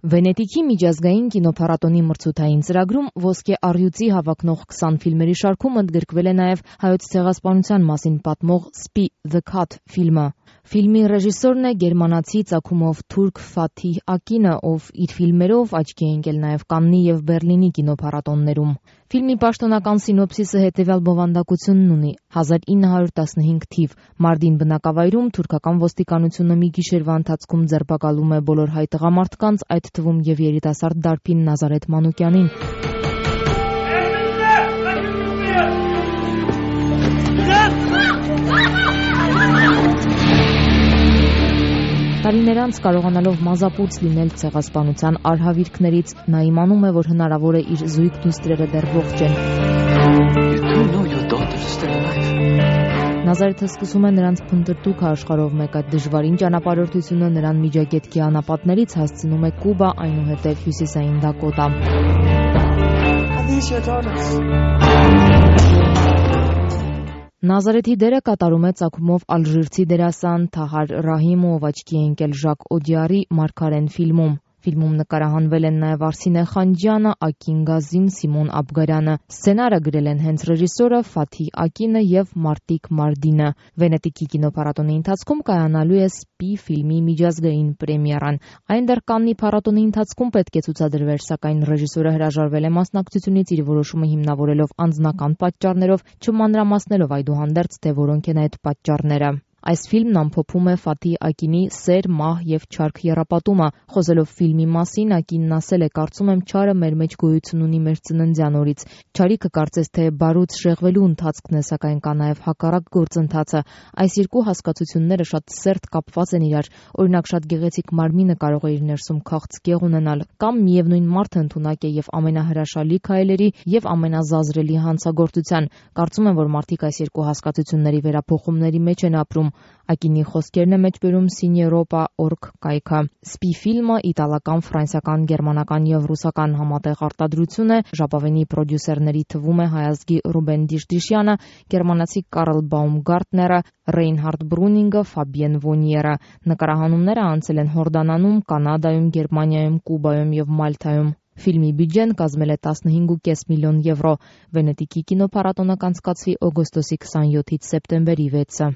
Վենետիկի միջազգային կինոփառատոնի մրցութային ծրագրում ոսկե առյուծի հավակնող 20 ֆիլմերի շարքում ընդգրկվել է նաև հայոց ցեղասպանության մասին պատմող «Spy the Cat» ֆիլմը։ Ֆիլմի ռեժիսորն է գերմանացի ծագումով թուրք Ֆաթիհ Ակինը, ով իր ֆիլմերով աչքի է ընկել նաև Կաննի և Բեռլինի կինոփառատոններում։ Ֆիլմի պաշտոնական սինոպսիսը հետևյալ բովանդակությունն ունի. 1915 թիվ. Մարդին բնակավայրում թուրքական ոստիկանությունը մի գիշերվա ընթացքում ձերբակալում է բոլոր հայ տղամարդկանց, այդ թվում և երիտասարդ դարբին Նազարեթ Մանուկյանին։ Տարիներ անց կարողանալով մազապուծ լինել ցեղասպանության արհավիրքներից, նա իմանում է, որ հնարավոր է իր զույգ դուստրերը դեռ ողջ են։ Նազարեթը սկսում է նրանց փնտրտուքը աշխարհով մեկ, այդ դժվարին ճանապարհորդությունը նրան Միջագետքի անապատներից հասցնում է Կուբա, այնուհետև Հյուսիսային Դակոտա։ Նազարեթի դերը կատարում է ծագումով ալժիրցի դերասան Թահար Ռահիմը, ով աչքի է ընկել Ժակ Օդիարի «Մարգարեն» ֆիլմում։ Ֆիլմում նկարահանվել են նաև Արսինե Խանջյանը, Ակին Գազին, Սիմոն Աբգարյանը։ Սցենարը գրել են հենց ռեժիսորը Ֆաթիհ Ակինը և Մարտիկ Մարդինը։ Վենետիկի կինոփառատոնի ընթացքում կայանալու է «Spy» ֆիլմի միջազգային պրեմիերան։ Այն դեռ Կաննի փառատոնի ընթացքում պետք է ցուցադրվեր, սակայն ռեժիսորը հրաժարվել է մասնակցությունից, իր որոշումը հիմնավորելով անձնական պատճառներով, չմանրամասնելով այդուհանդերձ, թե որոնք են այդ պատճառները։ Այս ֆիլմն ամփոփում է Ֆաթիհ Ակինի սեր, մահ և չարք եռապատումը։ Խոսելով ֆիլմի մասին, Ակինն ասել է. «Կարծում եմ, չարը մեր մեջ գոյություն ունի մեր ծննդյան օրից։ Չարիքը կարծես թե բարուց շեղվելու ընթացքն է, սակայն կա նաև հակառակ գործընթացը։ Այս երկու հասկացությունները շատ սերտ կապված են իրար։ Օրինակ, շատ գեղեցիկ մարմինը կարող է իր ներսում քաղցկեղ ունենալ, կամ միևնույն մարդը ընդունակ է և ամենահրաշալի քայլերի և ամենազազրելի հանցագործության։ Կարծում եմ, որ մարդիկ այս երկու հասկացությունների վերափոխումների մեջ են ապրում»։ Ակինի խոսքերն է մեջբերում Cineropa.org կայքը։ «Spy» ֆիլմը իտալական, ֆրանսիական, գերմանական և ռուսական համատեղ արտադրություն է։ Ժապավենի պրոդյուսերների թվում է հայ ազգի Ռուբեն Դիշդիշյանը, գերմանացի Կարլ Բաումգարտները, Ռեյնհարդ Բրունինգը, Ֆաբիեն Վոնիերը։ Նկարահանումները անցել են Հորդանանում, Կանադայում, Գերմանիայում, Կուբայում և Մալթայում։ Ֆիլմի բյուջեն կազմել է 15.5 միլիոն եվրո։ Վենետիկի կինոփառատոնը կանցկացվի օգոստոսի 27-ից սեպտեմբերի 6-ը։